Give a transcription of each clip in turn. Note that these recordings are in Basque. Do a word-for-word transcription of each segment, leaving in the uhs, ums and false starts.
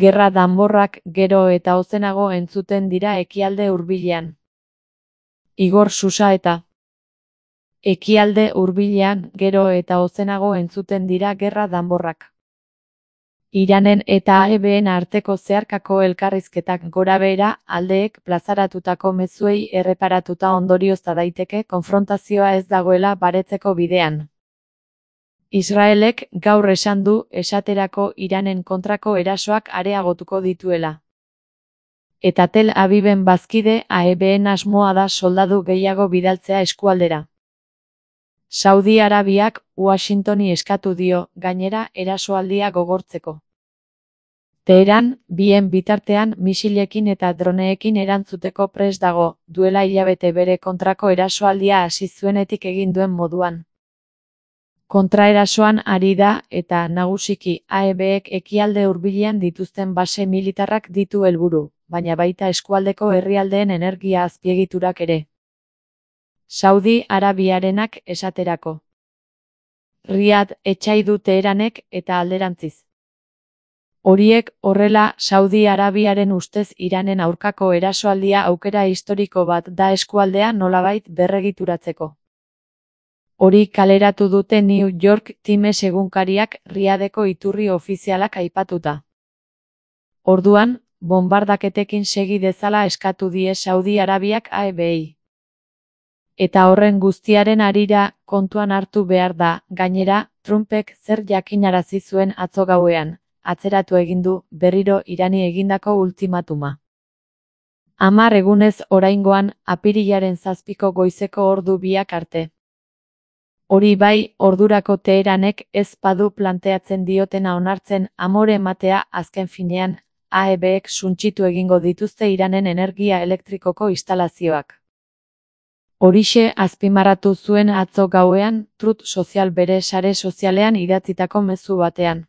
Gerra danborrak gero eta ozenago entzuten dira ekialde hurbilean. Igor Susaeta. Ekialde hurbilean gero eta ozenago entzuten dira gerra danborrak. Iranen eta A E B:en arteko zeharkako elkarrizketak gorabehera aldeek plazaratutako mezuei erreparatuta ondoriozta daiteke konfrontazioa ez dagoela baretzeko bidean. Israelek gaur esan du esaterako Iranen kontrako erasoak areagotuko dituela. Eta Tel Aviven bazkide A E B:en asmoa da soldadu gehiago bidaltzea eskualdera. Saudi Arabiak Washingtoni eskatu dio, gainera, erasoaldia gogortzeko. Teheran, bien bitartean misilekin eta droneekin erantzuteko prest dago, duela hilabete bere kontrako erasoaldia hasi zuenetik egin duen moduan. Kontraerasoan ari da eta nagusiki A E Bek ekialde hurbilean dituzten base militarrak ditu helburu, baina baita eskualdeko herrialdeen energia azpiegiturak ere. Saudi Arabiarenak esaterako. Riad etsai du Teheranek eta alderantziz. Horiek horrela, Saudi Arabiaren ustez Iranen aurkako erasoaldia aukera historiko bat da eskualdea nolabait berregituratzeko. Hori kaleratu dute New York Times egunkariak Riadeko iturri ofizialak aipatuta. Orduan, bonbardaketekin segi dezala eskatu die Saudi Arabiak A E B:i. Eta horren guztiaren harira, kontuan hartu behar da, gainera, Trumpek zer jakinarazi zuen atzo gauean, atzeratu egin du berriro Irani egindako ultimatuma. Hamar egunez oraingoan, apirilaren zazpiko goizeko ordu biak arte. Hori bai, ordurako Teheranek ez badu planteatzen diotena onartzen amore ematea azken finean, A E Bek suntsitu egingo dituzte Iranen energia elektrikoko instalazioak. Horixe azpimarratu zuen atzo gauean, Truth Social bere sare sozialean idatzitako mezu batean.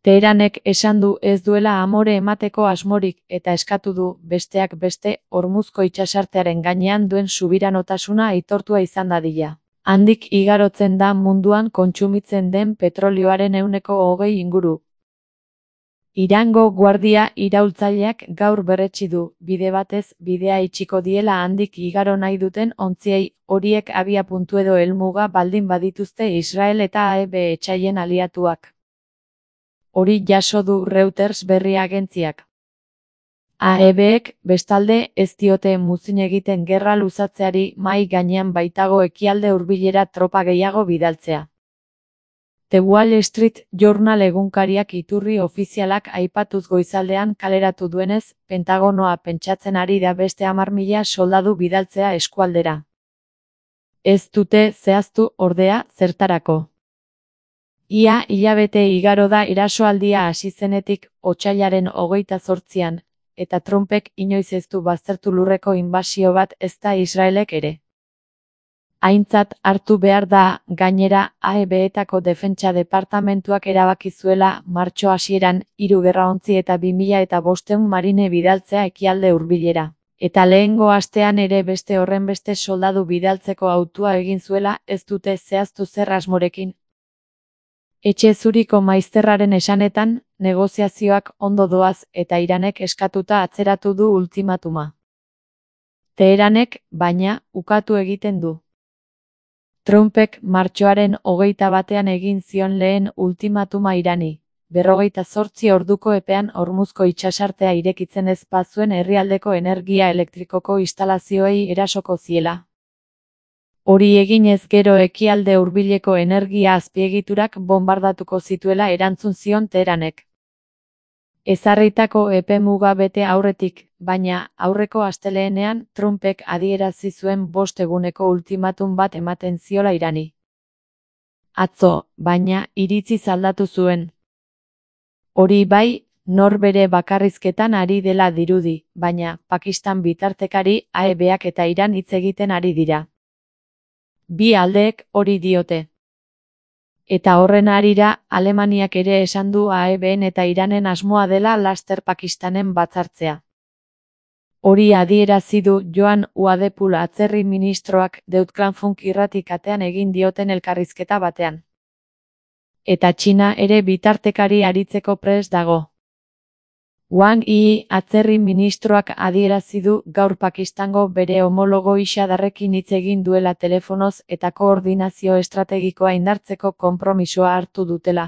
Teheranek esan du ez duela amore emateko asmorik eta eskatu du, besteak beste, Hormuzko itsasartearen gainean duen subiranotasuna aitortua izan dadila. Handik igarotzen da munduan kontsumitzen den petrolioaren ehuneko hogei inguru. Irango guardia iraultzaileak gaur berretsi du, bide batez bidea itxiko diela handik igaro nahi duten ontziei, horiek abiapuntu edo helmuga baldin badituzte Israel eta A E B etsaien aliatuak. Hori jaso du Reuters berri agentziak. A E Bek, bestalde, ez diote muzin egiten gerra luzatzeari mahai gainean baitago ekialde hurbilera tropa gehiago bidaltzea. The Wall Street Journal egunkariak iturri ofizialak aipatuz goizaldean kaleratu duenez, Pentagonoa pentsatzen ari da beste hamar mila soldadu bidaltzea eskualdera. Ez dute zehaztu ordea zertarako. Ia hilabete igaro da erasoaldia hasi zenetik, otsailaren hogeita zortzian, eta Trumpek inoiz ez du baztertu lurreko inbasio bat ezta Israelek ere. Aintzat hartu behar da, gainera, A E Betako defentsa departamentuak erabaki zuela martxo hasieran hiru gerraontzi eta bi mila eta bostehun marine bidaltzea ekialde hurbilera. Eta lehengo astean ere beste horrenbeste soldadu bidaltzeko hautua egin zuela ez dute zehaztu zer asmorekin. Etxe zuriko maizterraren esanetan, negoziazioak ondo doaz eta Iranek eskatuta atzeratu du ultimatuma. Teheranek, baina, ukatu egiten du. Trumpek martxoaren hogeita batean egin zion lehen ultimatuma Irani, berrogeita zortzi orduko epean Hormuzko itsasartea irekitzen ez bazuen herrialdeko energia elektrikoko instalazioei erasoko ziela. Hori eginez gero ekialde hurbileko energia azpiegiturak bonbardatuko zituela erantzun zion Teheranek. Ezarritako epe muga bete aurretik, baina aurreko astelehenean Trumpek adierazi zuen bost eguneko ultimatum bat ematen ziola Irani. Atzo, baina, iritziz aldatu zuen. Hori bai, nor bere bakarrizketan ari dela dirudi, baina Pakistan bitartekari A E Bak eta Iran hitz egiten ari dira. Bi aldeek hori diote. Eta horren harira, Alemaniak ere esan du A E Ben eta Iranen asmoa dela laster Pakistanen batzartzea. Hori adierazi du Joan Uadepul atzerri ministroak Deutschlandfunk irratikatean egin dioten elkarrizketa batean. Eta Txina ere bitartekari aritzeko prest dago. Wang Yi, atzerri ministroak adierazi du gaur Pakistango bere homologo Xadarrekin hitz egin duela telefonoz eta koordinazio estrategikoa indartzeko konpromisoa hartu dutela.